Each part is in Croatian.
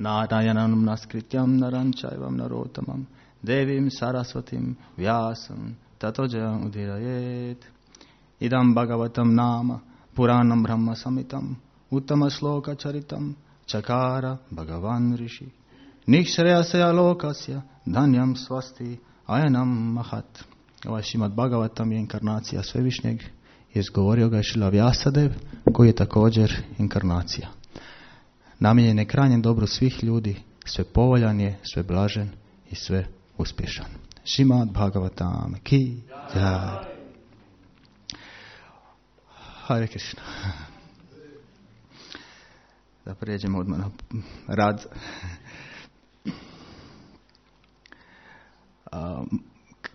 Narayanam naskrityam naranchaivam narotamam devim sarasvatim vyasam tatojam udirayet. Idam bhagavatam nama puranam brahma samitam uttama shloka charitam chakara bhagavan rishi nikšreyasya lokasya dhanyam svasti ayanam mahat. Ovaj Šimad Bhagavatam je inkarnacija Svevišnjeg. Izgovorio ga je Šrila Vjasadev, koji je također inkarnacija. Namijenjen je krajnjem dobru svih ljudi, sve povoljan je, sve blažen i sve uspješan. Šimad Bhagavatam ki jai. Hare Krishna. Da prijeđemo odmah na rad.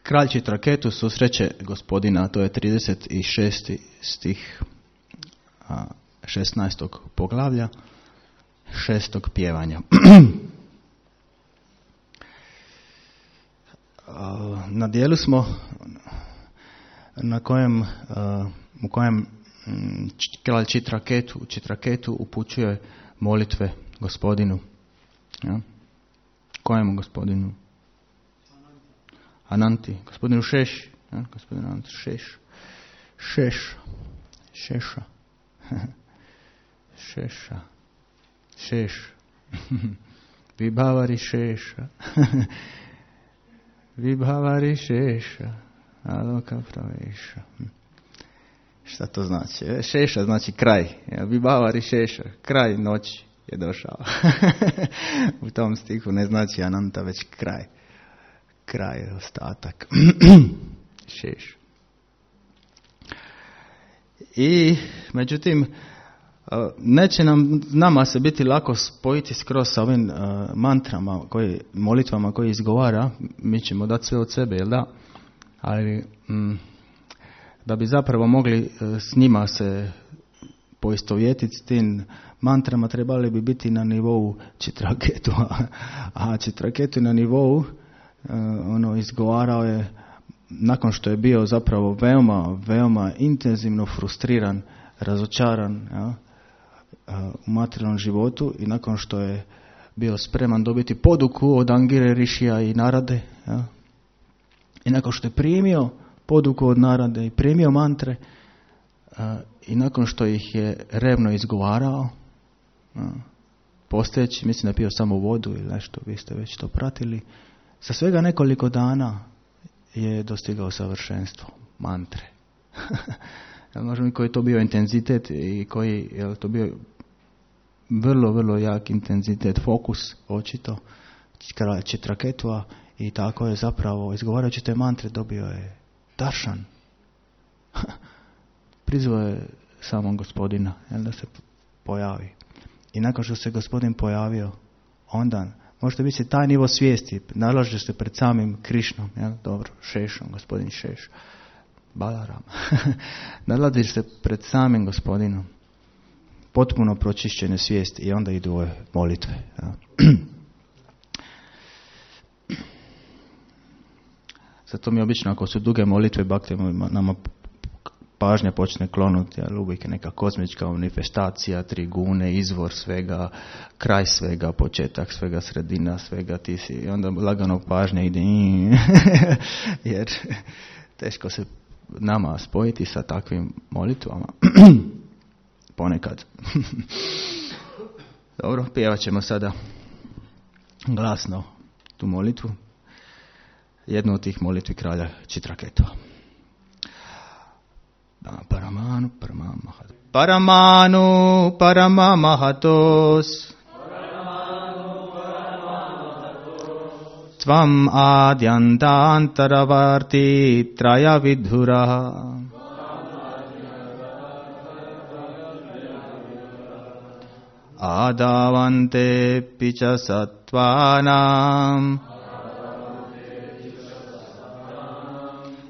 Kralj Čitraketu susreće gospodina, to je 36. stih 16. poglavlja 6. pjevanja. Na dijelu smo u kojem kralj Čitraketu upućuje molitve gospodinu. Ja? Kojemu gospodinu? Ananti, gospodinu Šeši, ja? Gospodinu Ananti Šeša. Vibhavari Šeša, Aloka Praveša. Šta to znači? Šeša znači kraj. Vibhavari Šeša, kraj noći je došao. U tom stihu ne znači Ananta, već kraj. Kraj, ostatak. Šeš. I, međutim, neće nama se biti lako spojiti skroz sa ovim mantrama, molitvama koje izgovara. Mi ćemo dati sve od sebe, jel da? Ali, da bi zapravo mogli s njima se poistovjetiti s tim mantrama, trebali bi biti na nivou Čitraketu. A Čitraketu na nivou izgovarao je nakon što je bio zapravo veoma intenzivno frustriran, razočaran u materijalnom životu i nakon što je bio spreman dobiti poduku od Angire, Rishija i Narade, i nakon što je primio poduku od Narade i primio mantre i nakon što ih je revno izgovarao, postojeći, mislim da je pio samo vodu ili nešto, vi ste već to pratili, za svega nekoliko dana je dostigao savršenstvo mantre. Možemo i koji je to bio intenzitet i koji je to bio vrlo jak intenzitet, fokus očito Čitraketua, i tako je zapravo izgovarajući te mantre dobio je daršan. Prizvao je samog gospodina da se pojavi. I nakon što se gospodin pojavio, onda možete biti taj nivo svijesti, nalažeš se pred samim Krišnom, dobro, Šešom, gospodin Šeš, Balaram. Nalaziš se pred samim gospodinom, potpuno pročišćene svijesti, i onda idu ove molitve. Zato mi obično, ako su duge molitve, nama pažnja počne klonuti, ali uvijek je neka kozmička manifestacija, trigune, izvor svega, kraj svega, početak svega, sredina svega, ti si, i onda lagano pažnja ide, jer teško se nama spojiti sa takvim molitvama. Ponekad. Dobro, pjevat ćemo sada glasno tu molitvu. Jednu od tih molitvi kralja Čitraketua. Paramanu Paramamahatos Tvam adyantantaravarti traya vidhura Adavante picha sattvanam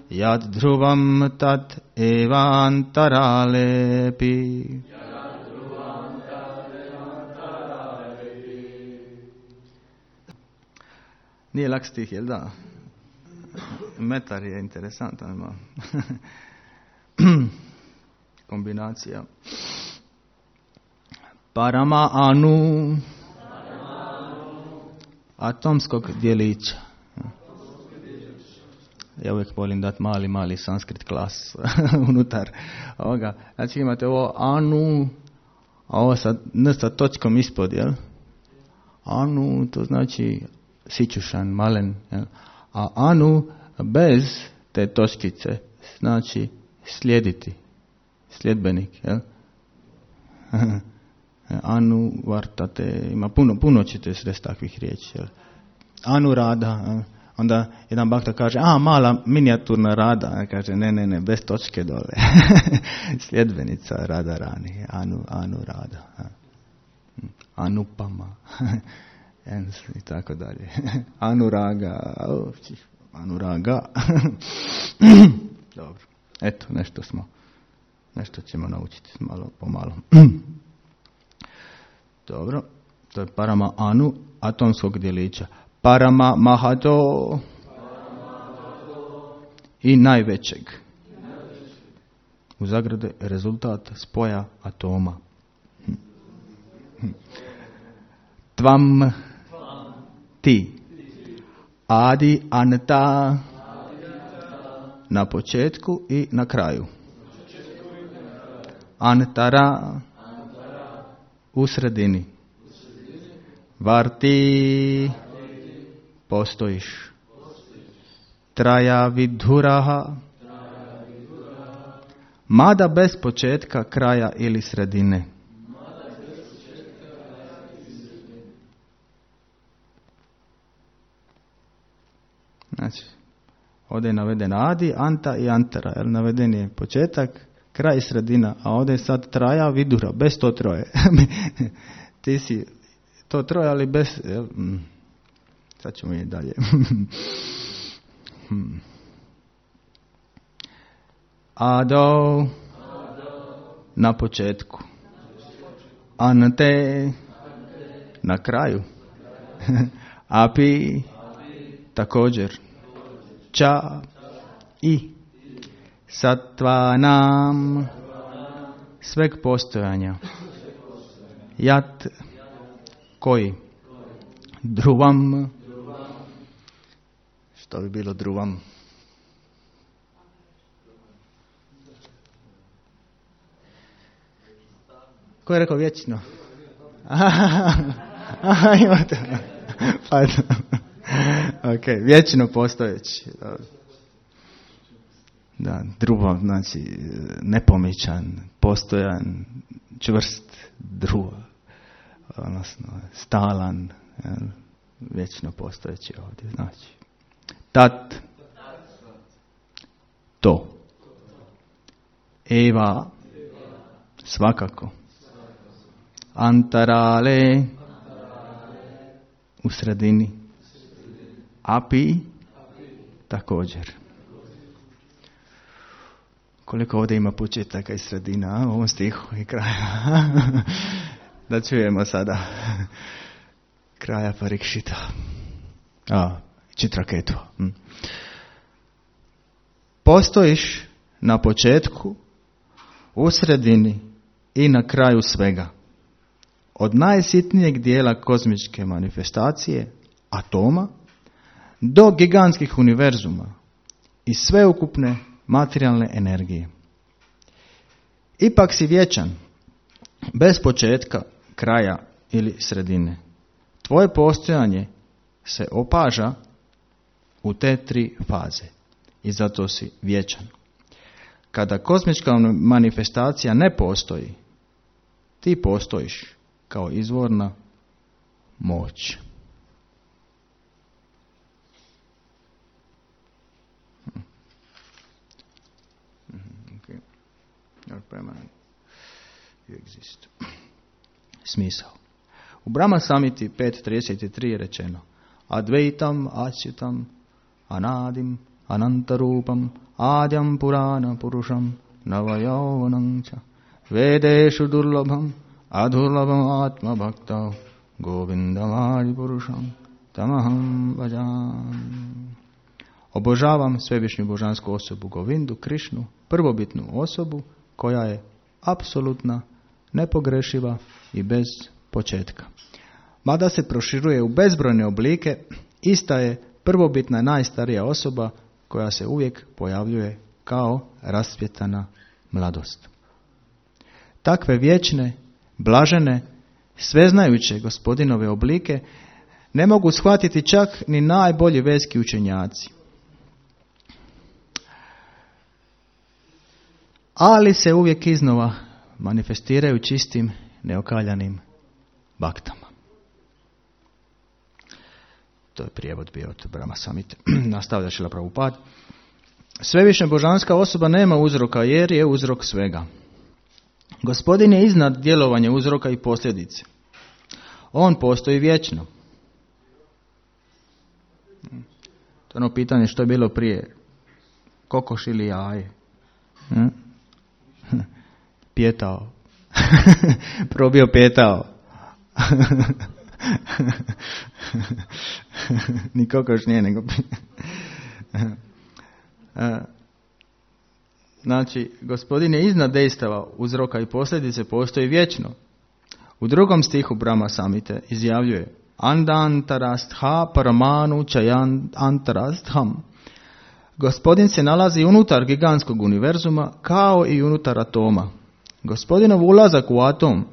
Yad dhruvam tat evantaralepi. Nije lak stih, jel da? Metar je interesantan, ima kombinacija. Parama anu atomskog dijelića. Ja uvijek volim dati mali sanskrit klas unutar ovoga. Znači imate ovo anu, a ovo sa n sa točkom ispod, jel? Anu, to znači sićušan, malen, jel? A anu bez te točkice znači slijediti, sljedbenik, jel? Anu vartate, ima puno ćete sresti takvih riječi, jel? Anu rada, jel? Onda jedan bakta kaže, mala minijaturna rada, kaže ne, bez točke dole. Sljedbenica rada rani, anu rada. Anupama. I tako dalje. Anuraga. Anuraga. Dobro. Eto, nešto ćemo naučiti malo po malo. Dobro. To je parama anu, atomskog dijelića. Parama mahato i najvećeg. U zagrade rezultat spoja atoma. Tvam ti. Adi anta na početku i na kraju. Antara u sredini. Varti postojiš. Traja vidhuraha, mada bez početka, kraja ili sredine. Znači, ovdje je naveden adi, anta i antara. Jer naveden je početak, kraj i sredina, a ovdje je sad traja vidura, bez to troje. Ti si to troje, ali bez... Sad ćemo i dalje. Ado na početku. Ante na kraju. Api također. Ča i satvanam sveg postojanja. Jat koji. Druvam. Što bi bilo druvam? Ko je rekao vječno? Imate. Ok, vječno postojeći. Da, druvam, znači nepomičan, postojan, čvrst, druva. Odnosno, stalan, vječno postojeći ovdje, znači. Tat, to. Eva, svakako. Antarale, u sredini. Api, također. Koliko ovdje ima početaka i sredina u ovom stihu i kraja. Da čujemo sada kraja Parikšita. Čitraketva. Postojiš na početku, u sredini i na kraju svega. Od najsitnijeg dijela kozmičke manifestacije, atoma, do gigantskih univerzuma i sveukupne materijalne energije. Ipak si vječan, bez početka, kraja ili sredine. Tvoje postojanje se opaža u te tri faze i zato si vječan. Kada kozmička manifestacija ne postoji, ti postojiš kao izvorna moć. Okay. Your permanent you exist. Smisao. U Brahma Samhiti 5.33 je rečeno Advaitam Achyutam Anadim Anantarupam Adyam Purana Purusham Navayauvanamcha Vedeshu Durlabham Adurlabham Atma Bhakta Govindamadi Purusham Tamaham Bhajam. Obožavam svevišnju božansku osobu Govindu, Krišnu, prvobitnu osobu koja je apsolutna, nepogrešiva i bez početka. mada se proširuje u bezbrojne oblike, ista je prvobitna najstarija osoba koja se uvijek pojavljuje kao rasvjetana mladost. Takve vječne, blažene, sveznajuće Gospodinove oblike ne mogu shvatiti čak ni najbolji verski učenjaci. Ali se uvijek iznova manifestiraju čistim, neokaljanim baktama. To je prijevod bio od Brahma Samhite. Nastavlja Šrila Prabhupada. Svevišnja božanska osoba nema uzroka jer je uzrok svega. Gospodin je iznad djelovanja uzroka i posljedice. On postoji vječno. To je ono pitanje što je bilo prije. Kokoš ili jaje? Pjetao. Probio pjetao. Ni kokoš nije, nego znači, Gospodin je iznad dejstava uzroka i posljedice, postoji vječno. U 2. stihu Brahma Samhite izjavljuje Andantarastha paramanu chayan antarastham. Gospodin se nalazi unutar gigantskog univerzuma kao i unutar atoma. Gospodinov ulazak u atom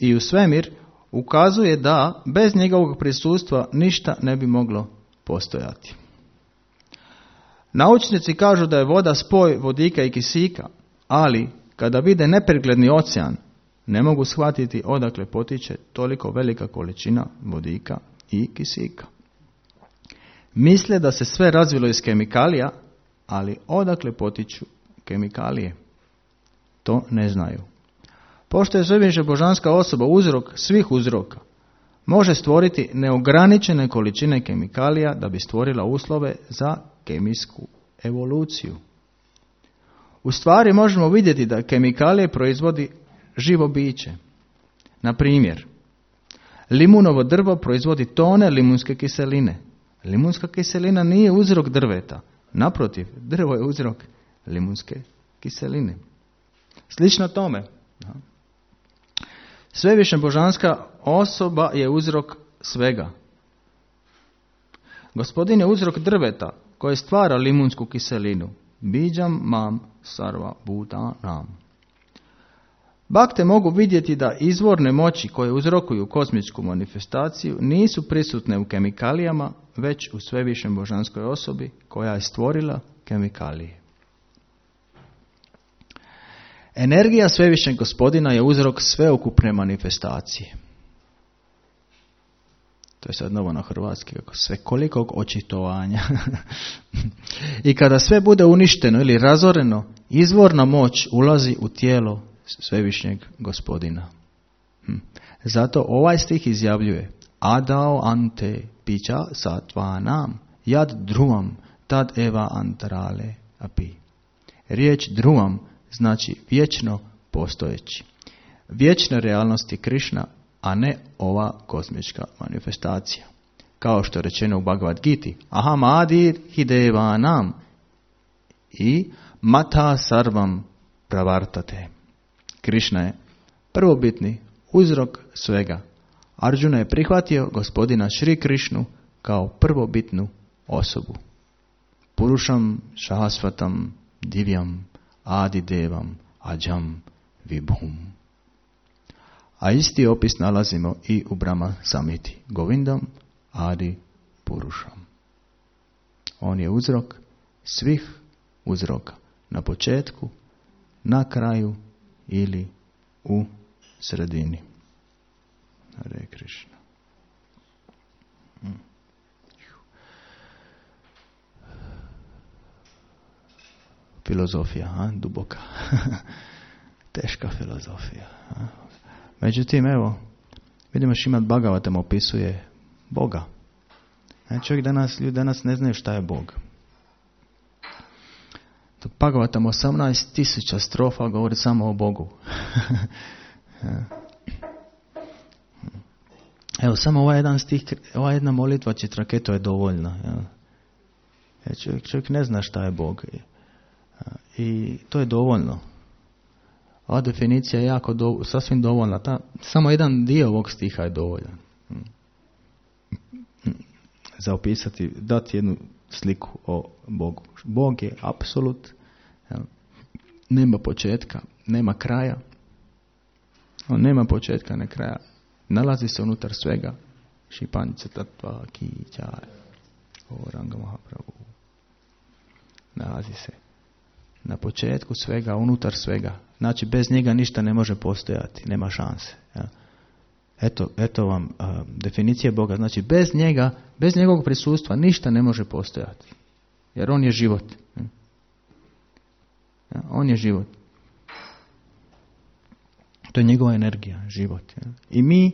i u svemir ukazuje da bez njegovog prisustva ništa ne bi moglo postojati. Naučnici kažu da je voda spoj vodika i kisika, ali kada vide nepregledni ocean, ne mogu shvatiti odakle potiče toliko velika količina vodika i kisika. Misle da se sve razvilo iz kemikalija, ali odakle potiču kemikalije? To ne znaju. Pošto je svevišnja božanska osoba uzrok svih uzroka, može stvoriti neograničene količine kemikalija da bi stvorila uslove za kemijsku evoluciju. U stvari možemo vidjeti da kemikalije proizvodi živo biće. Na primjer, limunovo drvo proizvodi tone limunske kiseline. Limunska kiselina nije uzrok drveta. Naprotiv, drvo je uzrok limunske kiseline. Slično tome, svevišnja božanska osoba je uzrok svega. Gospodin je uzrok drveta koje stvara limunsku kiselinu. Biđam mam sarva bhutanam. Bakte mogu vidjeti da izvorne moći koje uzrokuju kozmičku manifestaciju nisu prisutne u kemikalijama, već u svevišnjoj božanskoj osobi koja je stvorila kemikalije. Energija svevišnjeg Gospodina je uzrok sveukupne manifestacije. To je sad novo na hrvatski, svekolikog očitovanja. I kada sve bude uništeno ili razoreno, izvorna moć ulazi u tijelo svevišnjeg Gospodina. Zato ovaj stih izjavljuje Adao ante pića satvanam jad druvam tad eva antarale api. Riječ druvam znači vječno postojeći. Vječna realnost je Krišna, a ne ova kozmička manifestacija. Kao što je rečeno u Bhagavad Giti, aham adir hidevanam i mata sarvam pravartate. Krišna je prvobitni uzrok svega. Arjuna je prihvatio Gospodina Šri Krišnu kao prvobitnu osobu. Purušam šahasvatam divjam adidevam ađam vibhum. A isti opis nalazimo i u Brahma Samhiti. Govindam adi purušam. On je uzrok svih uzroka. Na početku, na kraju ili u sredini. Hare Krishna. Filozofija, duboka. Teška filozofija. Međutim, evo, vidimo Šrimad Bhagavatam opisuje Boga. Ljudi danas ne znaju šta je Bog. Dok Bhagavatam 18,000 strofa govori samo o Bogu. Evo, samo ovaj jedan stih, ova jedna molitva Čitraketu je dovoljna. Čovjek ne zna šta je Bog. I to je dovoljno. Ova definicija je sasvim dovoljna. Samo jedan dio ovog stiha je dovoljan. za opisati, dati jednu sliku o Bogu. Bog je apsolut, nema početka, nema kraja. On nema početka, ne kraja. Nalazi se unutar svega. Šipanjica tatva kića. Oranga Mahaprabhu. Nalazi se na početku svega, unutar svega. Znači, bez njega ništa ne može postojati. Nema šanse. Ja. Eto vam definicija Boga. Znači, bez njega, bez njegovog prisustva ništa ne može postojati. Jer on je život. Ja, on je život. To je njegova energija, život. Ja. I mi,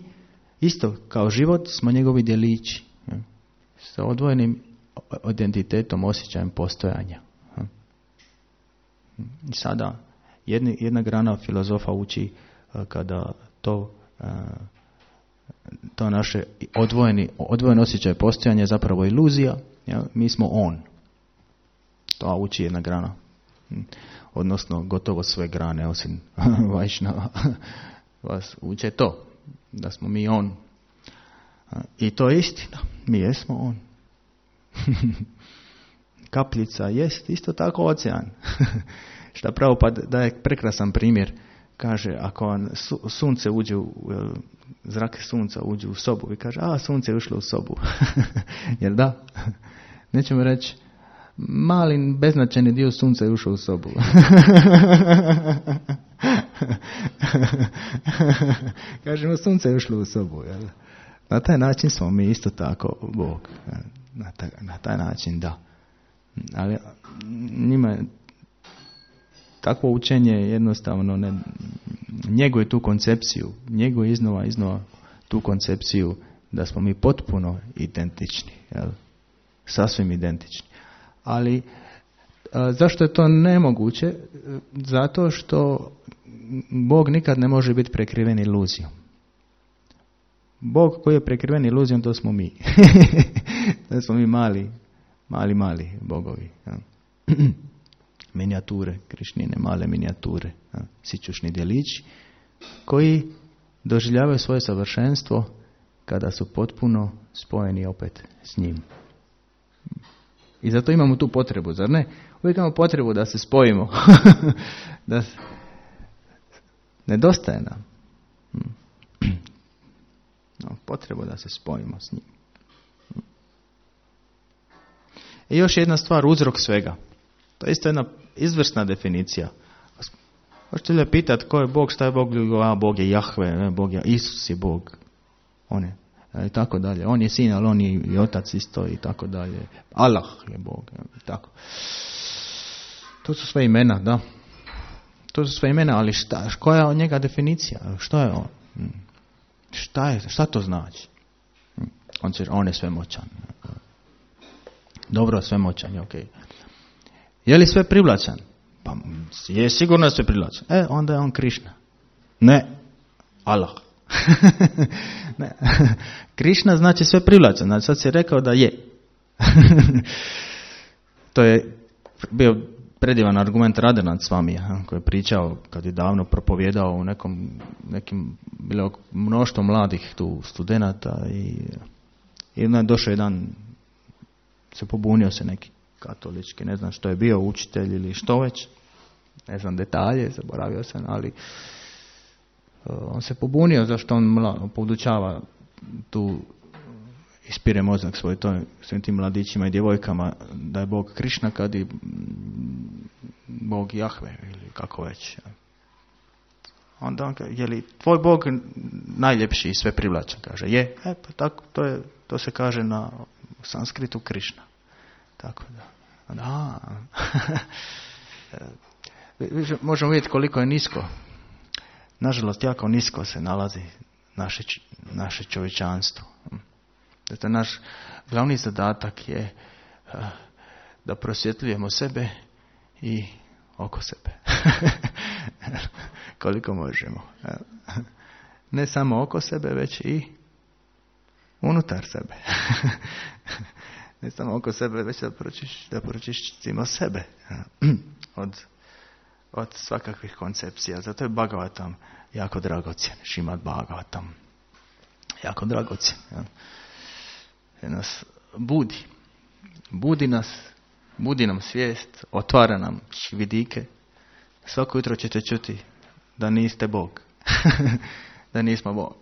isto kao život, smo njegovi djelići. Ja. Sa odvojenim identitetom, osjećajem postojanja. Ja. I sada, jedna grana filozofa uči kada to naše odvojeno osjećaj postojanja je zapravo iluzija. Ja. Mi smo on. To uči jedna grana. Odnosno gotovo sve grane osim Vajšnava vas uče to, da smo mi on. I to je istina, mi jesmo on. Kapljica jest isto tako ocean. Šta pravo pa daje prekrasan primjer. Kaže, ako vam sunce uđe zrak sunca uđe u sobu i kaže, sunce je ušlo u sobu. Jer da? Nećemo reći, mali beznačajni dio sunca je ušao u sobu. Kažemo, sunce je ušlo u sobu. Jel? Na taj način smo mi isto tako Bog. Na taj način da. Ali njima takvo učenje jednostavno ne njeguje tu koncepciju. Njeguje iznova tu koncepciju da smo mi potpuno identični. Jel? Sasvim identični. Ali zašto je to nemoguće? Zato što Bog nikad ne može biti prekriven iluzijom. Bog koji je prekriven iluzijom, to smo mi. To smo mi mali bogovi. Ja. Minijature, Krišnine, male minijature. Ja. Sićušni djelići koji doživljavaju svoje savršenstvo kada su potpuno spojeni opet s njim. I zato imamo tu potrebu, zar ne? Uvijek imamo potrebu da se spojimo. Nedostaje nam. Potrebu da se spojimo s njim. I još jedna stvar, uzrok svega. To je isto jedna izvrsna definicija. Možete li pitati ko je Bog, šta je Bog? Bog je Jahve, Bog je Isus je Bog. On je. I tako dalje. On je sin, ali on je i otac isto i tako dalje. Allah je Bog. I tako. To su sve imena, da. To su sve imena, ali koja je od njega definicija? Što je on? Šta to znači? On je svemoćan. Dobro, svemoćan je okej. Je li sve privlačan? Pa je sigurno sve privlačan. Onda je on Krišna. Ne, Allah. Ne. Krišna znači sve privlačan. Znači sad si rekao da je. To je bio predivan argument Radhanath Swamija, koji je pričao kad je davno propovijedao u nekim bilo mnoštvo mladih tu studenata i onda je došao jedan, se pobunio se neki katolički, ne znam što je bio, učitelj ili što već, ne znam detalje, zaboravio sam, ali on se pobunio zašto on podučava tu, ispire mozak svoj svim tim mladićima i djevojkama da je Bog Krišna kad je Bog Jahve ili kako već. Onda on kaže, je li tvoj Bog najljepši i sve privlačan? Kaže, je. Pa tako, to se kaže na sanskritu Krišna. Tako da. Možemo vidjeti koliko je nisko. Nažalost, jako nisko se nalazi naše čovječanstvo. Zato naš glavni zadatak je da prosvjetljujemo sebe i oko sebe. Koliko možemo. Ne samo oko sebe, već i unutar sebe. Ne samo oko sebe, već da pročišćimo sebe od svakakvih koncepcija. Zato je Bhagavatam jako dragocjen, Šrimad Bhagavatam. jako dragocjen. Jer nas budi nam svijest, otvara nam vidike. Svako jutro ćete čuti da niste Bog. Da nismo Bog.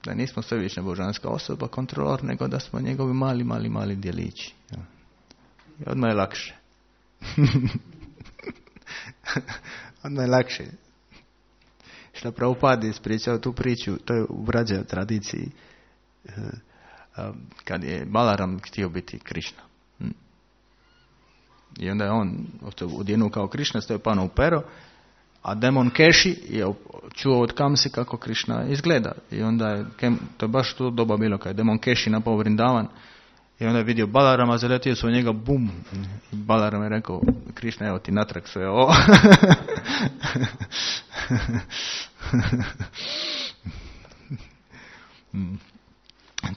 Da nismo svevišnja božanska osoba, kontrolor, nego da smo njegovi mali djelići. I odmah je lakše. Odmah je lakše. Što Prabhupada ispričao tu priču, to je u Vrađa tradiciji, kad je Balaram htio biti Krišna. I onda je on odjenuo kao Krišna, stavio pano u pero, a demon Keši je čuo od Kamsi kako Krišna izgleda. I onda je, to je baš to doba bilo, kad je demon Keši napao Vrindavan, i onda je vidio Balarama, zaletio se u njega, bum! I Balaram je rekao, Krišna, evo ti natrag sve ovo.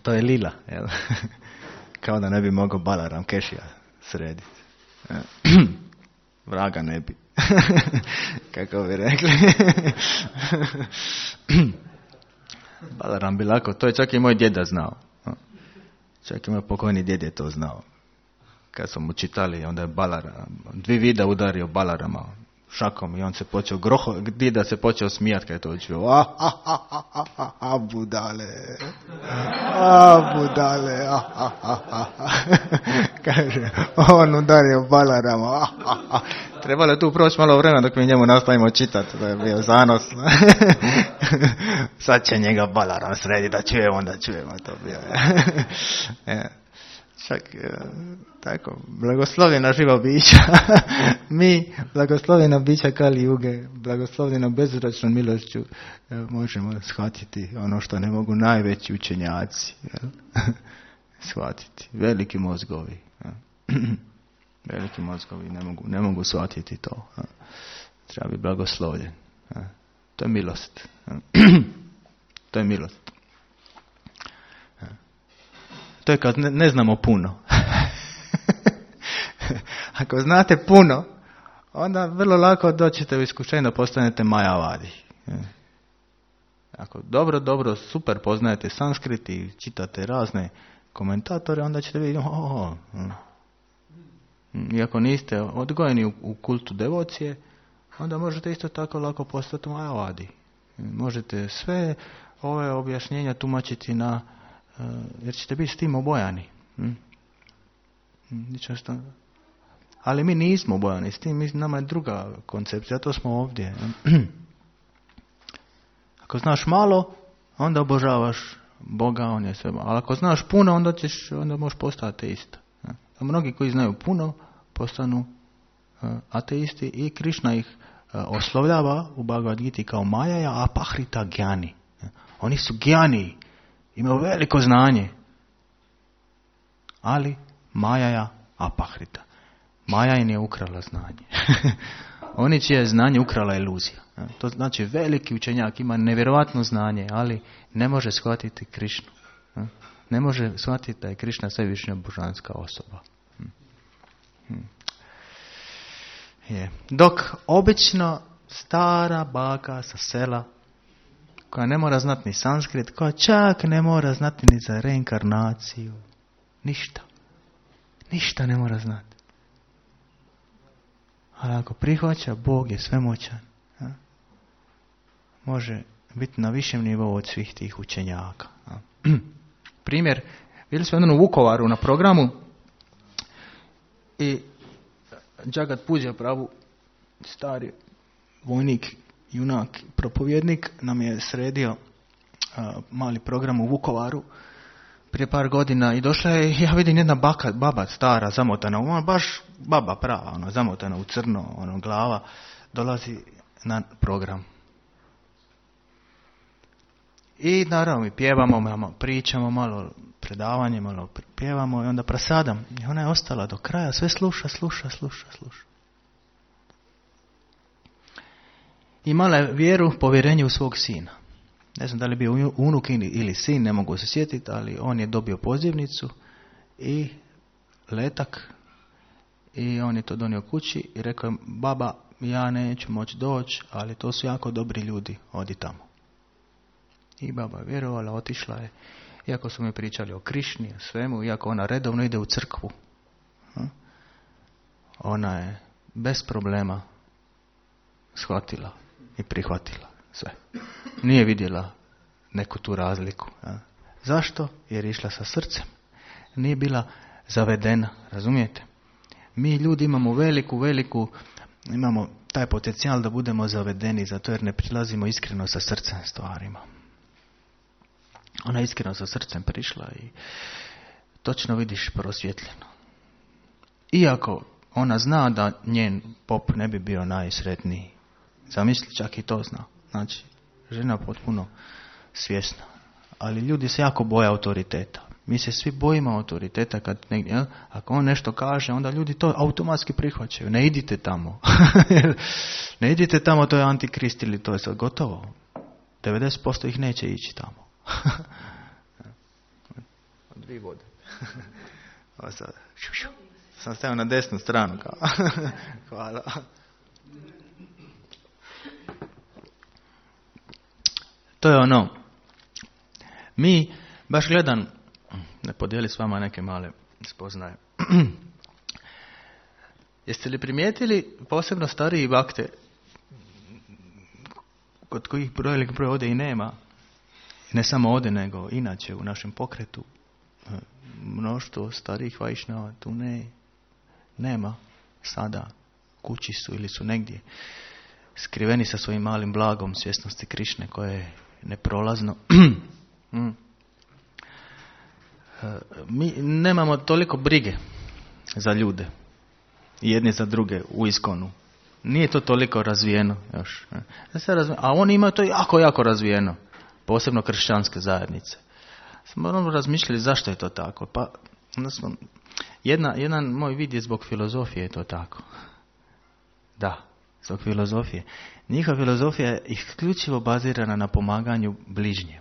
To je lila, jel? Kao da ne bi mogao Balaram Kešija srediti. Vraga ne bi. Kako bi rekli. Balaram bi lako, to je čak i moj djeda znao. Čak i moj pokojni djed je to znao. Kad smo mu čitali, onda je Balaram, 2 vida udario Balarama šakom i on se počeo djeda se počeo smijati kad je to čuo. Budale. Budale. Kaže, on udario Balarama. Trebalo je tu proći malo vremena dok mi njemu nastavimo čitati, da je bio zanos. Sad će njega Balaram sredi da čujemo, onda čujemo. To bio. Čak, tako, blagoslovljena živa bića. Mi, blagoslovljena bića Kali Juge, blagoslovljena bezuračnom milošću, možemo shvatiti ono što ne mogu najveći učenjaci. Shvatiti. Veliki mozgovi. Veliki mozgovi ne mogu shvatiti to. Treba biti blagoslovljen. To je milost. To je milost. To je kad ne znamo puno. Ako znate puno, onda vrlo lako doćete u iskušenje da postanete majavadi. Ako dobro, super poznajete sanskrit i čitate razne komentatore, onda ćete vidjeti, iako niste odgojeni u kultu devocije, onda možete isto tako lako postati majavadi. Možete sve ove objašnjenja tumačiti jer ćete biti s tim obojani. Ali mi nismo obojani s tim, nama je druga koncepcija, to smo ovdje. Ako znaš malo, onda obožavaš Boga, on je sve. Ali ako znaš puno, onda možeš postati ateista. A mnogi koji znaju puno, postanu ateisti i Krišna ih oslovljava u Bhagavad Giti kao Majaja apahrita gyani. Oni su gyani, imaju veliko znanje, ali Majaja apahrita. Maja im je ukrala znanje. Oni čije je znanje ukrala iluzija. To znači veliki učenjak ima nevjerojatno znanje, ali ne može shvatiti Krišnu. Ne može shvatiti da je Krišna svevišnja božanska osoba. Dok obično stara baka sa sela, koja ne mora znati ni sanskrit, koja čak ne mora znati ni za reinkarnaciju, ništa ne mora znati. Ali ako prihvaća, Bog je svemoćan, može biti na višem nivou od svih tih učenjaka. Primjer, bili smo jednom u Vukovaru na programu i Jagat Puđa Prabhu, stari vojnik, junak, propovjednik, nam je sredio mali program u Vukovaru prije par godina i došla je, ja vidim, jedna baba stara, zamotana, ona baš baba prava, zamotana u crno, glava, dolazi na program. I naravno mi pjevamo, malo pričamo, malo predavanje, malo pjevamo i onda prasadam. I ona je ostala do kraja, sve sluša. Imala je vjeru, povjerenje u svog sina. Ne znam da li je bio unuk ili sin, ne mogu se sjetiti, ali on je dobio pozivnicu i letak i on je to donio kući i rekao je, baba, ja neću moći doći, ali to su jako dobri ljudi, odi tamo. I baba je vjerovala, otišla je. Iako su mi pričali o Krišni, o svemu, iako ona redovno ide u crkvu. Ona je bez problema shvatila i prihvatila sve. Nije vidjela neku tu razliku. Zašto? Jer je išla sa srcem. Nije bila zavedena, razumijete? Mi ljudi imamo imamo taj potencijal da budemo zavedeni, zato jer ne prilazimo iskreno sa srcem stvarima. Ona je iskreno sa srcem prišla i točno vidiš prosvjetljeno. Iako ona zna da njen pop ne bi bio najsretniji. Zamisli, čak i to zna. Znači, žena potpuno svjesna. Ali ljudi se jako boje autoriteta. Mi se svi bojimo autoriteta kad negdje, ako on nešto kaže, onda ljudi to automatski prihvaćaju. Ne idite tamo. Ne idite tamo, to je antikrist ili to je sad gotovo. 90% ih neće ići tamo. Dvije vode. Ovo sad. Sam stavio na desnu stranu. Hvala. To je ono. Mi, baš gledam, da podijeli s vama neke male spoznaje. Jeste li primijetili posebno stariji bakte, kod kojih broj ovdje i nema, ne samo ovdje, nego inače u našem pokretu, mnoštvo starijih vajšnjava tu nema sada, kući su ili su negdje skriveni sa svojim malim blagom svjesnosti Krišne koje je neprolazno. Mi nemamo toliko brige za ljude, jedni za druge u iskonu. Nije to toliko razvijeno još. A oni imaju to jako razvijeno, posebno kršćanske zajednice. Smo razmišljali zašto je to tako. Pa jedan moj vid je zbog filozofije je to tako. Da, zbog filozofije. Njihova filozofija je isključivo bazirana na pomaganju bližnje.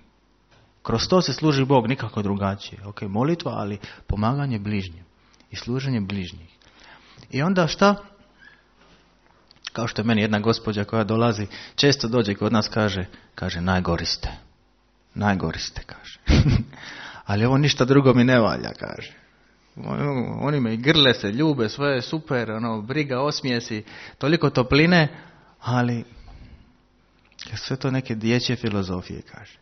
Kroz to se služi Bog, nikako drugačije. Ok, molitva, ali pomaganje bližnjem i služenje bližnjih. I onda šta? Kao što je meni jedna gospođa koja dolazi, često dođe kod nas, kaže najgori ste. Najgori ste, kaže. Ali ovo ništa drugo mi ne valja, kaže. Oni me i grle se, ljube, sve je super, briga, osmijesi, toliko topline, ali sve to neke dječje filozofije, kaže.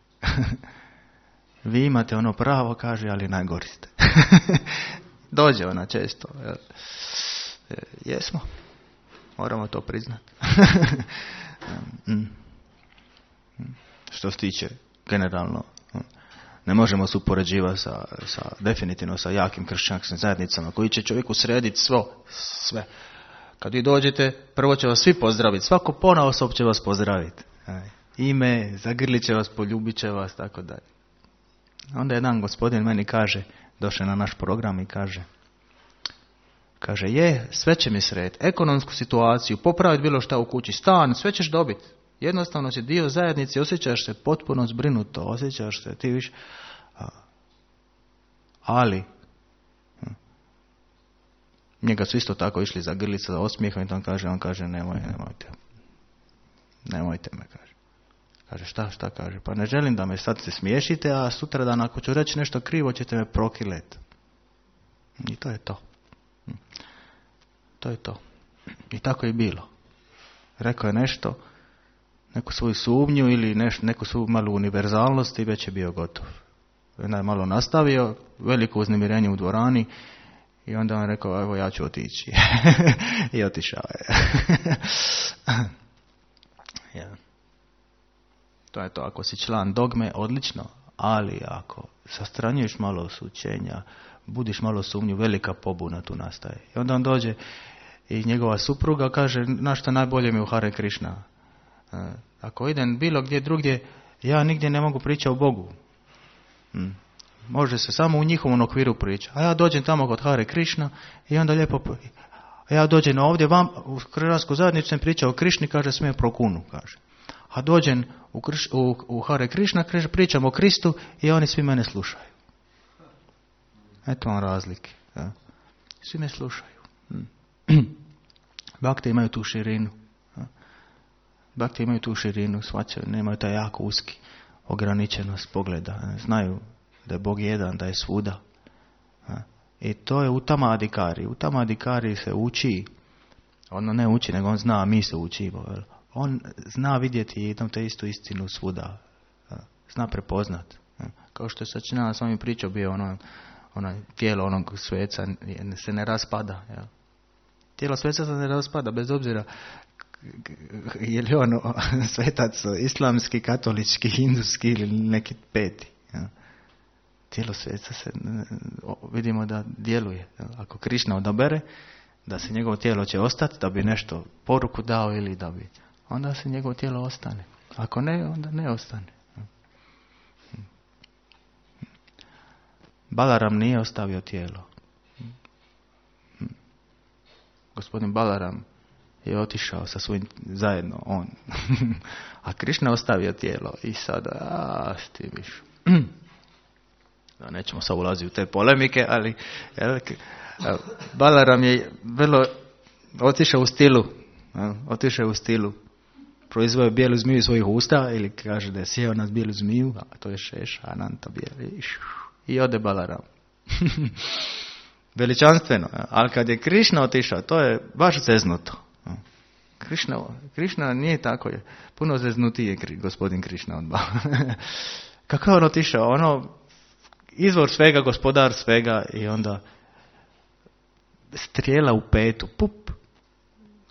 Vi imate ono pravo, kaže, ali najgori ste. Dođe ona često. Jesmo. Moramo to priznati. Što se tiče generalno, ne možemo se upoređivati definitivno sa jakim kršćanskim zajednicama koji će čovjeku srediti sve. Kad vi dođete, prvo će vas svi pozdraviti. Svako ponaosob će vas pozdraviti. Ime, zagrlit će vas, poljubit će vas, tako dalje. Onda jedan gospodin meni kaže, došao na naš program i kaže, sve će mi srediti, ekonomsku situaciju, popraviti bilo šta u kući, stan, sve ćeš dobiti. Jednostavno si dio zajednice, osjećaš se potpuno zbrinuto, osjećaš se, ti više. Ali, njega su isto tako išli za grlica, za osmijehom i on kaže, nemojte me, kaže. Kaže, šta, kaže, pa ne želim da me sad se smiješite, a sutra dan ako ću reći nešto krivo, ćete me prokilet. I to je to. To je to. I tako je bilo. Rekao je nešto, neku svoju sumnju ili neku svoju malu univerzalnost i već je bio gotov. Onda je malo nastavio, veliko uznemirenje u dvorani i onda on rekao, evo ja ću otići. I otišao je. Ja. To je to, ako si član dogme, odlično, ali ako sastranjuješ malo sučenja, budiš malo sumnju, velika pobuna tu nastaje. I onda on dođe i njegova supruga kaže, što najbolje mi u Hare Krišna. Ako idem bilo gdje drugdje, ja nigdje ne mogu pričati o Bogu. Može se samo u njihovom okviru pričati. A ja dođem tamo kod Hare Krišna i onda lijepo... Ja dođem ovdje vam, u kršćansku zajednicu sam pričao o Krišni, kaže smije prokunu, kaže. A dođem u Hare Krišna, pričam o Kristu i oni svi mene slušaju. Eto vam razlike. Ja. Svi me slušaju. Bakte imaju tu širinu. Bakte imaju tu širinu, shvaćaju, nemaju taj jako uski. ograničenost pogleda. Znaju da je Bog jedan, da je svuda. I to je utama adhikari. Utama adhikari se uči, ono ne uči, nego on zna, a mi se učimo. On zna vidjeti jednom te istu istinu svuda. Zna prepoznat. Kao što je Sačinjana s ovim pričao, bio ono tijelo onog sveca se ne raspada. Jel? Tijelo sveca se ne raspada, bez obzira je li on svetac islamski, katolički, hinduski ili neki peti. Jel? Tijelo sveca se vidimo da djeluje. Jel? Ako Krišna odabere da se njegovo tijelo će ostati, da bi nešto poruku dao ili da bi, onda se njegovo tijelo ostane. Ako ne, onda ne ostane. Balaram nije ostavio tijelo. Gospodin Balaram je otišao sa svojim zajedno on. A Krišna ostavio tijelo i sada stiviš. Nećemo sad ulaziti u te polemike, ali Balaram je vrlo otišao u stilu. Proizveo je bijelu zmiju iz svojih usta, ili kaže da je sjeo na bijelu zmiju, a to je Šeša, Ananta bijeli. I ode Balaram. Veličanstveno. Ali kad je Krišna otišao, to je baš zeznuto. Krišna nije tako. Je. Puno zeznutiji je gospodin Krišna od Balarama. Kako je on otišao? Ono, izvor svega, gospodar svega, i onda strijela u petu, pup,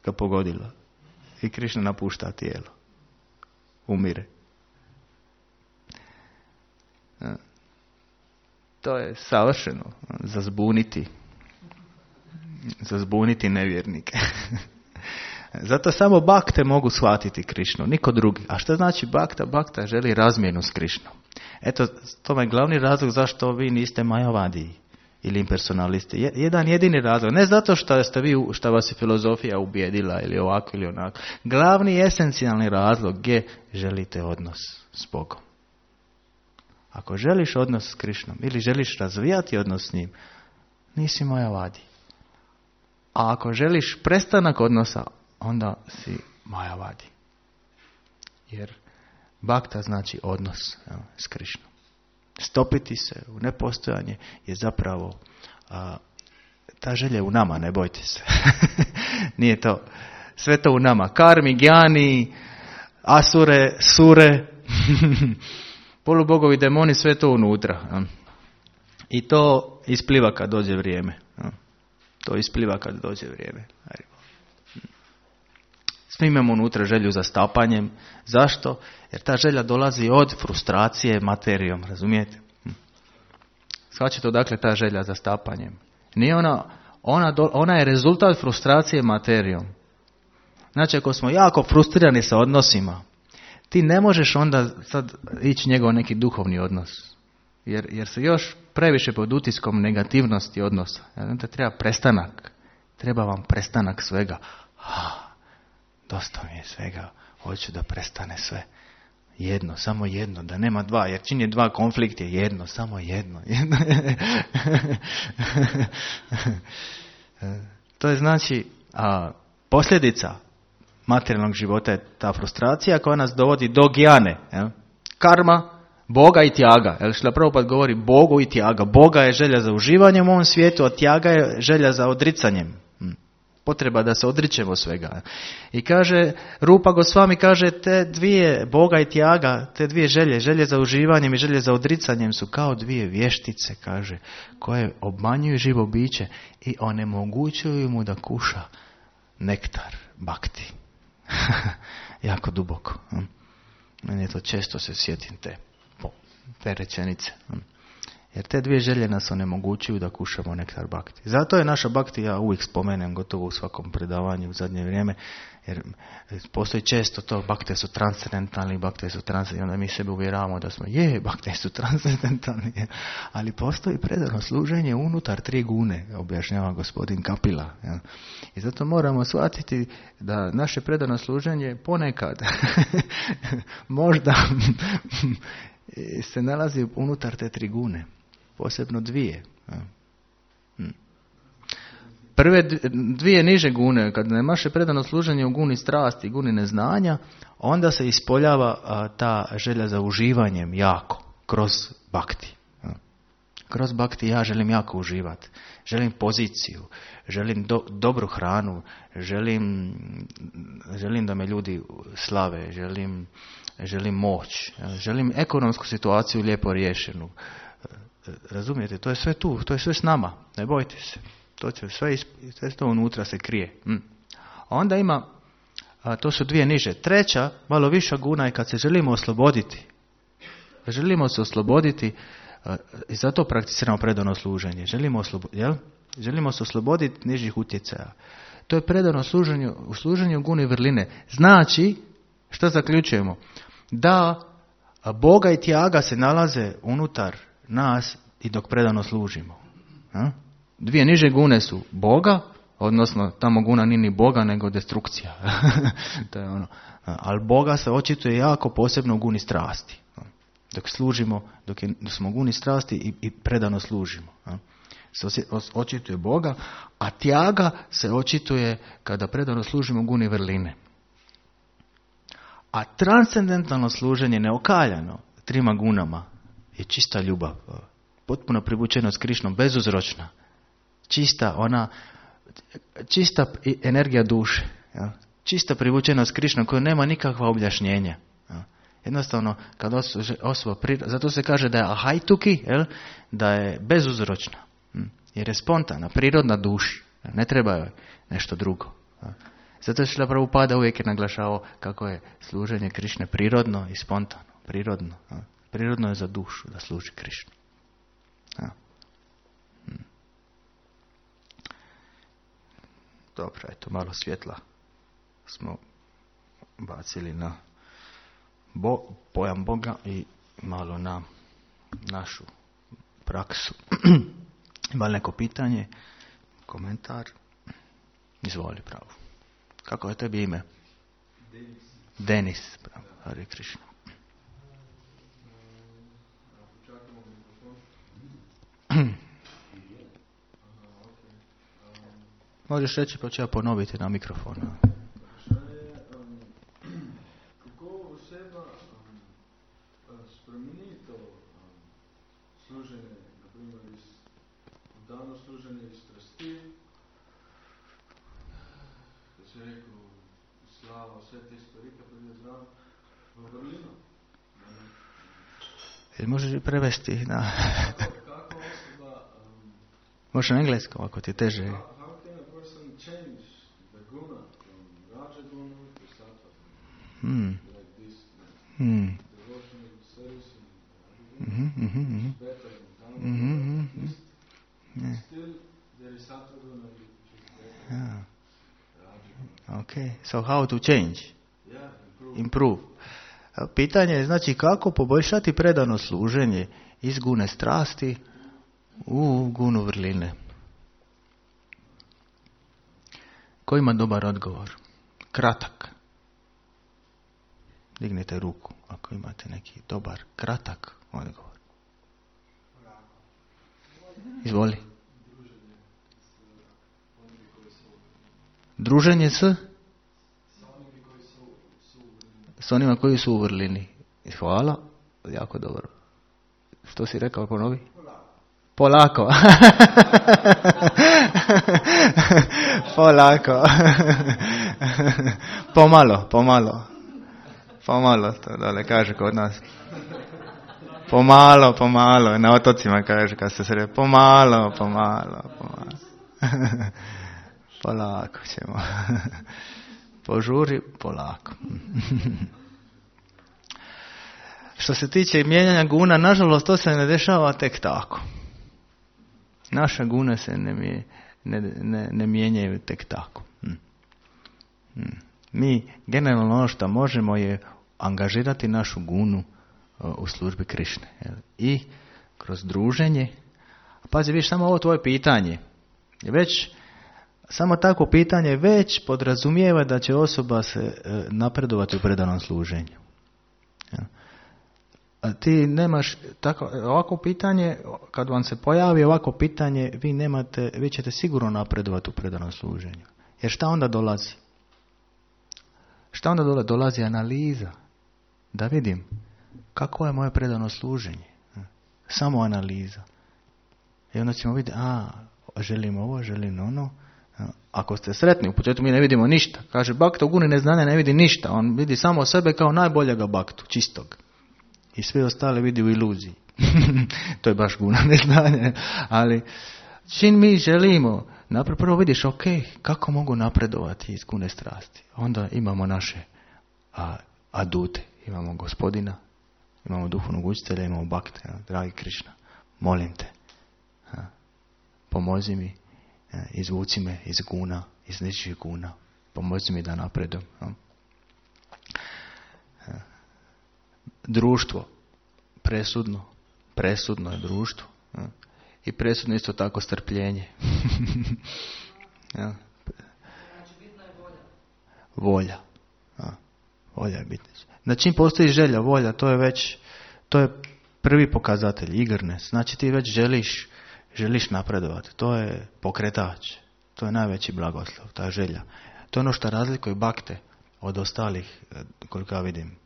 ga pogodila. I Krišna napušta tijelo. Umire. To je savršeno za zbuniti nevjernike. Zato samo bakte mogu shvatiti Krišnu, niko drugi. A što znači bakta? Bakta želi razmjenu s Krišnom. Eto, to je glavni razlog zašto vi niste majavadiji ili impersonalisti. Jedan jedini razlog. Ne zato što vas je filozofija ubijedila ili ovako ili onako. Glavni esencijalni razlog je želite odnos s Bogom. Ako želiš odnos s Krišnom ili želiš razvijati odnos s njim, nisi majavadi. A ako želiš prestanak odnosa, onda si majavadi. Jer bakta znači odnos s Krišnom. Stopiti se u nepostojanje je zapravo ta želja je u nama, ne bojte se. Nije to. Sve to u nama. Karmi, gjani, asure, sure, polubogovi, demoni, sve to unutra. I to ispliva kad dođe vrijeme. To ispliva kad dođe vrijeme. Svi imamo unutra želju za stapanjem. Zašto? Jer ta želja dolazi od frustracije materijom. Razumijete? Shvaćate odakle ta želja za stapanjem? Nije ona je rezultat frustracije materijom. Znači, ako smo jako frustrirani sa odnosima, ti ne možeš onda sad ići njegov neki duhovni odnos. Jer se još previše pod utiskom negativnosti odnosa. Te treba prestanak. Treba vam prestanak svega. Dosta mi je svega. Hoću da prestane sve. Jedno, samo jedno. Da nema dva. Jer čim je dva, konflikt je jedno. Samo jedno. To je znači posljedica materijalnog života je ta frustracija koja nas dovodi do gjane. Karma, Boga i tjaga. Šrila Prabhupada govori Bogu i tjaga. Boga je želja za uživanjem u ovom svijetu, a tjaga je želja za odricanjem. Potreba da se odričemo svega. I kaže, Rupa Gosvami kaže, te dvije, Boga i tjaga, te dvije želje za uživanjem i želje za odricanjem su kao dvije vještice, kaže, koje obmanjuju živo biće i onemogućuju mu da kuša nektar bakti. Jako duboko. Meni je to često se sjetim te rečenice. Jer te dvije želje nas onemogućuju da kušamo nektar bakti. Zato je naša bakti, ja uvijek spomenem gotovo u svakom predavanju u zadnje vrijeme, jer postoji često to, bakte su transcendentalni, onda mi sebe uvjeravamo da smo, bakte su transcendentalni, ali postoji predano služenje unutar 3 gune, objašnjava gospodin Kapila. I zato moramo shvatiti da naše predano služenje ponekad možda se nalazi unutar te 3 gune. Posebno 2. prve dvije niže gune, kad nemaše predano služenje u guni strasti, guni neznanja, onda se ispoljava ta želja za uživanjem jako, kroz bhakti. Kroz bhakti ja želim jako uživati. Želim poziciju, želim dobru hranu, želim da me ljudi slave, želim moć, želim ekonomsku situaciju lijepo riješenu. Razumijete, to je sve tu, to je sve s nama, ne bojte se. To će sve to unutra se krije. Onda ima, to su dvije niže. Treća, malo viša guna je kad se želimo osloboditi. Želimo se osloboditi i zato prakticiramo predano služenje. Želimo se osloboditi nižih utjecaja. To je predano služenje u guni vrline. Znači, što zaključujemo? Da Boga i tjaga se nalaze unutar nas i dok predano služimo. Dvije niže gune su Boga, odnosno tamo guna nije ni Boga nego destrukcija. To je ono. Ali Boga se očituje jako posebno u guni strasti. Dok služimo, dok smo u guni strasti i predano služimo. Se očituje Boga, a tjaga se očituje kada predano služimo u guni vrline. A transcendentalno služenje neokaljano trima gunama je čista ljubav. Potpuno privučeno s Krišnom, bezuzročna. Čista energija duše. Ja? Čista privučenost Krišnom koja nema nikakva objašnjenja. Ja? Jednostavno, kad osoba zato se kaže da je ahajtuki, da je bezuzročna. Jer je spontana, prirodna duši. Ne treba joj nešto drugo. Ja? Zato Šrila Prabhupada uvijek je naglašavao kako je služenje Krišne prirodno i spontano. Prirodno. Ja? Prirodno je za dušu da služi Krišnu. Ja. Dobro, eto, malo svjetla smo bacili na pojam Boga i malo na našu praksu. Ima li neko pitanje, komentar? Izvoli, pravo. Kako je tebi ime? Denis, pravo. Hare Krishna. Možeš reći pa ću ja ponoviti na mikrofonu. Kako oseba spremeni to služenje, na primjer, dano služenje iz strasti, da se rekao slava, sve te stvari, kako je znam, v vrlino. Možeš i prevesti na... Kako osoba... Možeš na engleskom, ako ti teže. How can a person change the guna from Rajaguna to Sattva? Like this. Devotional service and better than Dhamma. Still there is Sattva guna which is better. Okay, so how to change? Yeah, Improve. Pitanje je znači kako poboljšati predano služenje iz gune strasti u gunu vrline. Ko ima dobar odgovor? Kratak. Dignite ruku ako imate neki dobar, kratak odgovor. Izvoli. Druženje s onima koji su u vrlini. Hvala. Jako dobro. Što si rekao, ponovi? Polako. Polako. Pomalo, to dole kaže kod nas. Pomalo. Na otocima kaže kad se sredi. Pomalo. Polako ćemo. Požuri, polako. Što se tiče mijenjanja guna, nažalost to se ne dešava tek tako. Naše gune se ne mijenjaju tek tako. Mi generalno ono što možemo je angažirati našu gunu u službi Krišne. I kroz druženje. Pazi, viš, samo ovo tvoje pitanje. Već samo takvo pitanje već podrazumijeva da će osoba se napredovati u predanom služenju. ti nemaš ovako pitanje, kad vam se pojavi ovako pitanje, vi ćete sigurno napredovati u predanom služenju. Jer šta onda dolazi? Šta onda dolazi? Dolazi analiza. Da vidim kako je moje predano služenje. Samo analiza. I onda ćemo vidjeti, želim ovo, želim ono. Ako ste sretni, u početku mi ne vidimo ništa. Kaže, bakta u guni neznanja ne vidi ništa. On vidi samo sebe kao najboljega baktu, čistog. I sve ostale vidi u iluziji. To je baš guna neznanja. Ali čim mi želimo, prvo vidiš, ok, kako mogu napredovati iz gune strasti. Onda imamo naše adute. Imamo Gospodina, imamo duhovnog učitelja, imamo bakte. Dragi Krišna, molim te, pomozi mi, izvuci me iz guna, iz ničih guna. Pomozi mi da napredujem. Društvo, presudno je društvo. I presudno isto tako strpljenje. Znači bitna je volja. Volja. Volja je bitna. Na čim postoji želja, volja, to je prvi pokazatelj, eagerness. Znači ti već želiš napredovati. To je pokretač. To je najveći blagoslov, ta želja. To je ono što razlikuje bakte od ostalih, koliko ja vidim,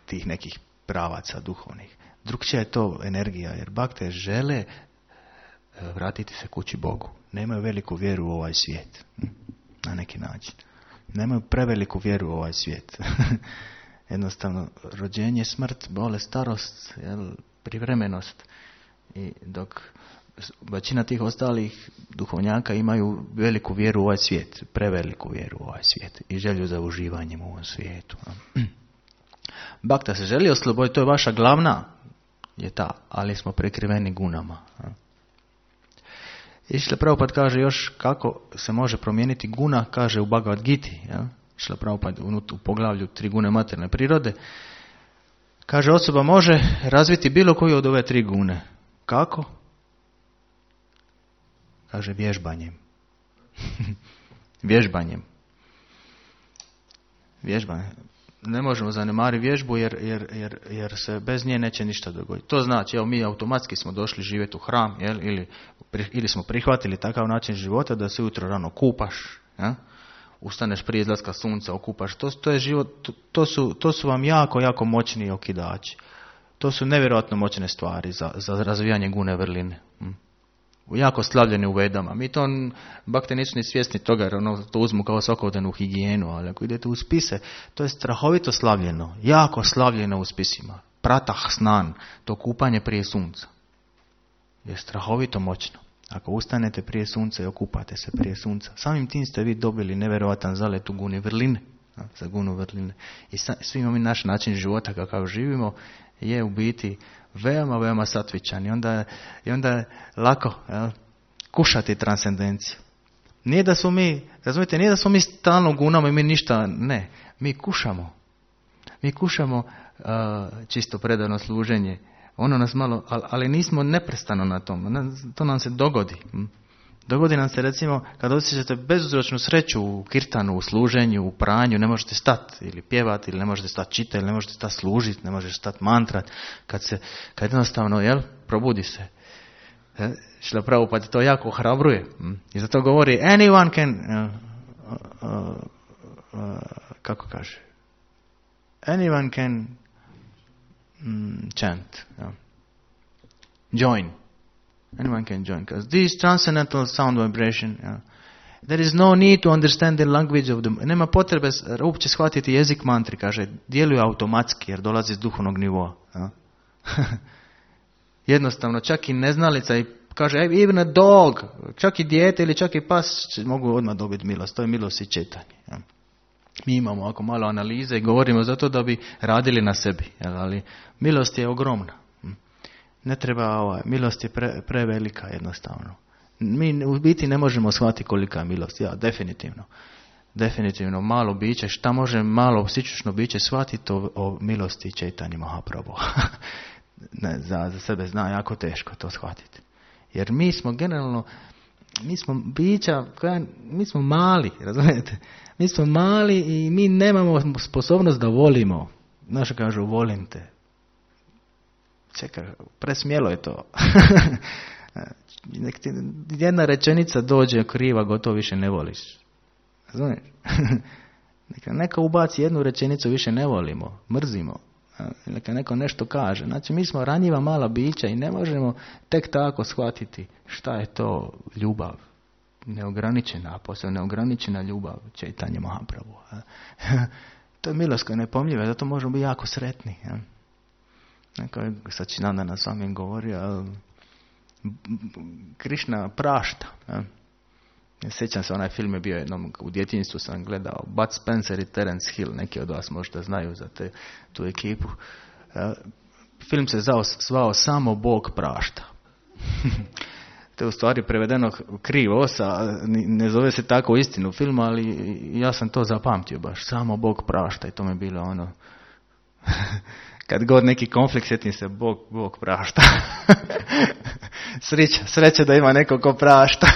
tih nekih pravaca duhovnih. Drugčija je to energija, jer bakte žele vratiti se kući Bogu. Nemaju veliku vjeru u ovaj svijet. Na neki način. Nemaju preveliku vjeru u ovaj svijet. Jednostavno, rođenje, smrt, bolest, starost, privremenost. I dok većina tih ostalih duhovnjaka imaju veliku vjeru u ovaj svijet, preveliku vjeru u ovaj svijet i želju za uživanjem u ovom svijetu. Bakta se želi osloboditi, to je vaša glavna, je ta, ali smo prekriveni gunama. I Šrila Prabhupada kaže još kako se može promijeniti guna, kaže u Bhagavad Giti, Šrila Prabhupada u poglavlju 3 gune materne prirode, kaže osoba može razviti bilo koju od ove 3 gune. Kako? Kaže vježbanjem. Vježbanjem. Ne možemo zanemariti vježbu jer se bez nje neće ništa dogoditi. To znači, mi automatski smo došli živjeti u hram, ili smo prihvatili takav način života da se ujutro rano kupaš, ustaneš prije izlaska sunca, okupaš. To je život, to su vam jako, jako moćni okidači. To su nevjerojatno moćne stvari za razvijanje gune vrline. Jako slavljeni u Vedama. Mi to, bakte nisu ni svjesni toga, jer to uzmu kao svakodnevnu higijenu, ali ako idete u spise, to je strahovito slavljeno, jako slavljeno u spisima. Pratah snan, to kupanje prije sunca, je strahovito moćno. Ako ustanete prije sunca i okupate se prije sunca, samim tim ste vi dobili nevjerojatan zalet u guni vrline, za gunu vrline. I svim ovim naš način života kakav živimo je u biti veoma, veoma satvičan. I onda je lako kušati transcendenciju. Nije da smo mi, razumijete, nije da smo mi stalno gunamo i mi ništa, ne. Mi kušamo. Mi kušamo čisto predano služenje. Ono nas malo, ali nismo neprestano na tom. To nam se dogodi. Dogodi nam se recimo kad osjećate bezuzročnu sreću u kirtanu, u služenju, u pranju, ne možete stati ili pjevati, ili ne možete stati čitati, ili ne možete stati služiti, ne možete stati mantrat. Kad jednostavno, probudi se. Šrila Prabhupada to jako ohrabruje. I zato govori, anyone can, kako kaže, anyone can chant, join. Anyone can join. Because this transcendental sound vibration, there is no need to understand the language of them. Nema potrebe uopće shvatiti jezik mantri, kaže, djeluje automatski jer dolazi iz duhovnog nivoa. Jednostavno, čak i neznalica i kaže, even a dog, čak i dijete ili čak i pas mogu odmah dobiti milost. To je milost i čitanje. Mi imamo ovako malo analize i govorimo zato da bi radili na sebi. Ali milost je ogromna. Ne treba, milost je prevelika jednostavno. Mi u biti ne možemo shvatiti kolika je milost. Definitivno malo biće, šta može malo psičično biće shvatiti o milosti Čejtanje Mahaprabhu. Za sebe zna jako teško to shvatiti. Jer mi smo generalno, mi smo bića, mi smo mali, razumijete? Mi smo mali i mi nemamo sposobnost da volimo. znaš kažu, volim te. Čekaj, presmjelo je to. Nek ti jedna rečenica dođe kriva, gotovo više ne voliš. Razumiješ? Neka ubaci jednu rečenicu, više ne volimo, mrzimo. Neka neko nešto kaže. Znači, mi smo ranjiva mala bića i ne možemo tek tako shvatiti šta je to ljubav. Neograničena, a posebno neograničena ljubav, Čaitanja Mahaprabhu. To je milost koja je nepomljiva, zato možemo biti jako sretni. Neko je Sačinandana s vami govorio, Krišna prašta. Sjećam se, onaj film je bio jednom, u djetinjstvu sam gledao, Bud Spencer i Terence Hill, neki od vas možda znaju za tu ekipu. Film se zvao Samo Bog prašta. To je u stvari prevedeno krivo, ne zove se tako istinu film, ali ja sam to zapamtio baš, Samo Bog prašta, i to mi je bilo ono, kad god neki konflikt, sjetim se, Bog prašta. Sreća da ima neko ko prašta.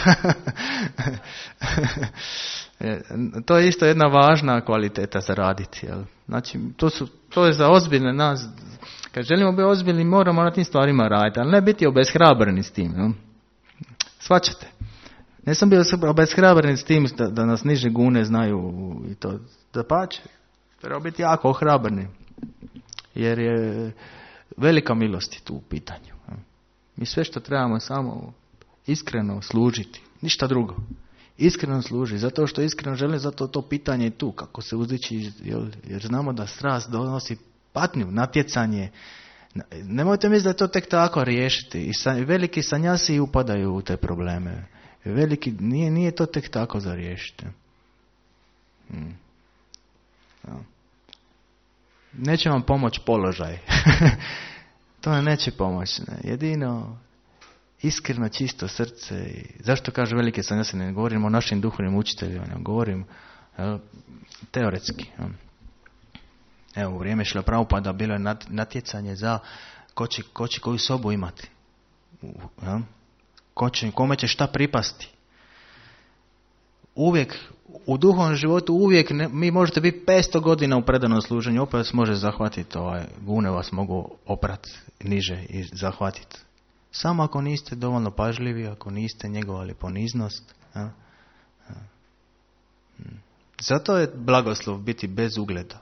To je isto jedna važna kvaliteta za raditi. Jel? Znači, to je za ozbiljne nas. Kad želimo biti ozbiljni, moramo na tim stvarima raditi, ali ne biti obeshrabreni s tim. Jel? Shvaćate? Ne sam bio obeshrabren s tim da nas niže gune znaju i to da pače. Treba biti jako ohrabreni. Jer je velika milost tu u pitanju. Mi sve što trebamo samo iskreno služiti. Ništa drugo. Iskreno služi. Zato što iskreno želim, zato to pitanje je tu. Kako se uzdići. Jer znamo da strast donosi patnju, natjecanje. Nemojte misliti da to tek tako riješiti. I veliki sanjasi upadaju u te probleme. Veliki, nije to tek tako za riješiti. Neće vam pomoći položaj. To ne neće pomoći. Ne. Jedino iskreno, čisto srce. Zašto kaže velike sanjasi? Ne govorim o našim duhovnim učiteljima, ne govorim teoretski. Evo, u vrijeme Šrila Prabhupada bilo je natjecanje za ko će koju sobu imati. Kome će šta pripasti. Uvijek, u duhovnom životu uvijek, mi možete biti 500 godina u predanom služenju, opet vas može zahvatiti, gune vas mogu oprati niže i zahvatiti. Samo ako niste dovoljno pažljivi, ako niste njegovali poniznost. Zato je blagoslov biti bez ugleda.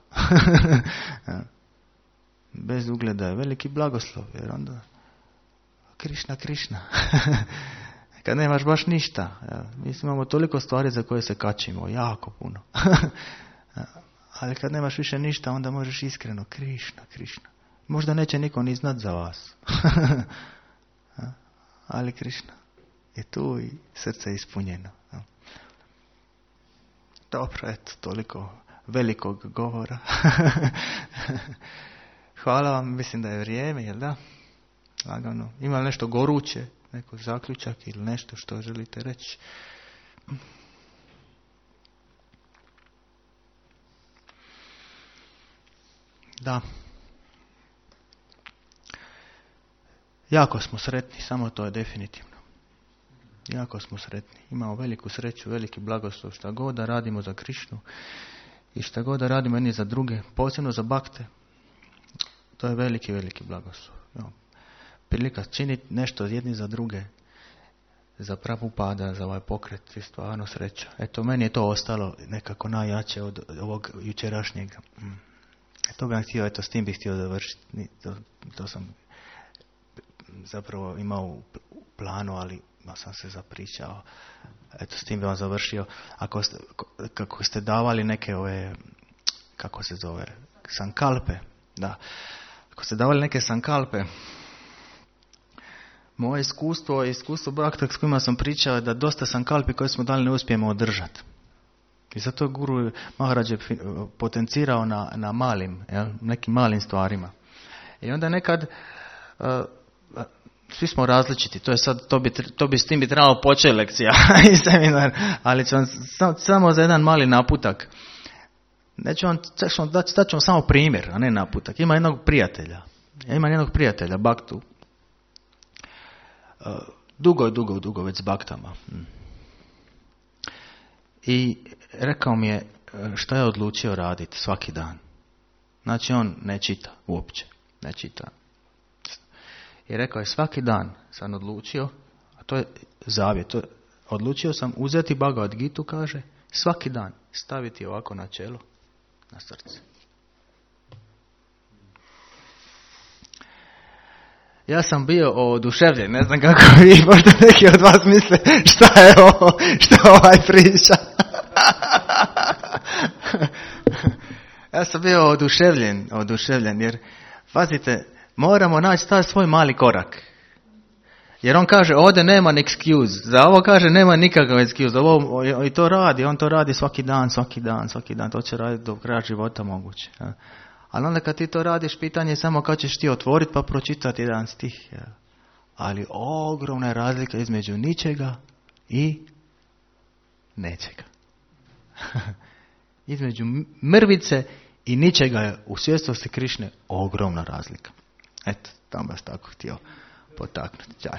Bez ugleda je veliki blagoslov, jer onda Krišna. Kad nemaš baš ništa. Mi imamo toliko stvari za koje se kačimo, jako puno. Ali kad nemaš više ništa, onda možeš iskreno Krišna. Možda neće niko ni znat za vas. Ali Krišna je tu i srce je ispunjeno. Dobro, eto, toliko velikog govora. Hvala vam, mislim da je vrijeme, jel da? Lagano. Ima li nešto goruće, neko zaključak ili nešto što želite reći? Da. Jako smo sretni, samo to je definitivno. Jako smo sretni. Imamo veliku sreću, veliki blagoslov. Šta god da radimo za Krišnu i šta god da radimo jedni za druge, posebno za bakte, to je veliki, veliki blagoslov. Prilika činiti nešto jedni za druge, za Prabhupada, za ovaj pokret, je stvarno sreća. Eto, meni je to ostalo nekako najjače od ovog jučerašnjega. To bih htio, s tim bih htio završiti. To sam zapravo imao u planu, ali sam se zapričao. Eto, s tim bih vam završio. Kako ste davali neke kako se zove, sankalpe, da. Ako ste davali neke sankalpe, moje iskustvo brakta s kojima sam pričao je da dosta sankalpi koje smo dali ne uspijemo održati. I zato je Guru Maharaj potencirao na malim, nekim malim stvarima. I onda nekad svi smo različiti, to je sad, to bi s tim bi trebalo početi lekcija i seminar, ali ću vam samo za jedan mali naputak. Neću vam, dat ću vam samo primjer, a ne naputak. Ima jednog prijatelja, Baktu. Dugo već s baktama. I rekao mi je šta je odlučio raditi svaki dan. Znači on ne čita uopće. Ne čita. I rekao je, svaki dan sam odlučio, a to je zavjet, odlučio sam uzeti Bhagavad Gitu, kaže, svaki dan staviti ovako na čelo, na srce. Ja sam bio oduševljen, ne znam kako vi, možda neki od vas misle šta je ovo, što ovaj priča. Ja sam bio oduševljen, jer, pazite, moramo naći taj svoj mali korak. Jer on kaže, ovdje nema excuse, za ovo kaže, nema nikakav excuse, ovo, i to radi, on to radi svaki dan, to će raditi do kraja života moguće. Ja. Ali onda kad ti to radiš, pitanje je samo kad ćeš ti otvoriti pa pročitati jedan stih. Ja. Ali ogromna je razlika između ničega i nečega. Između mrvice i ničega je u svjesnosti Krišne ogromna razlika. Eto, tam vas tako htio potaknuti. Čaj.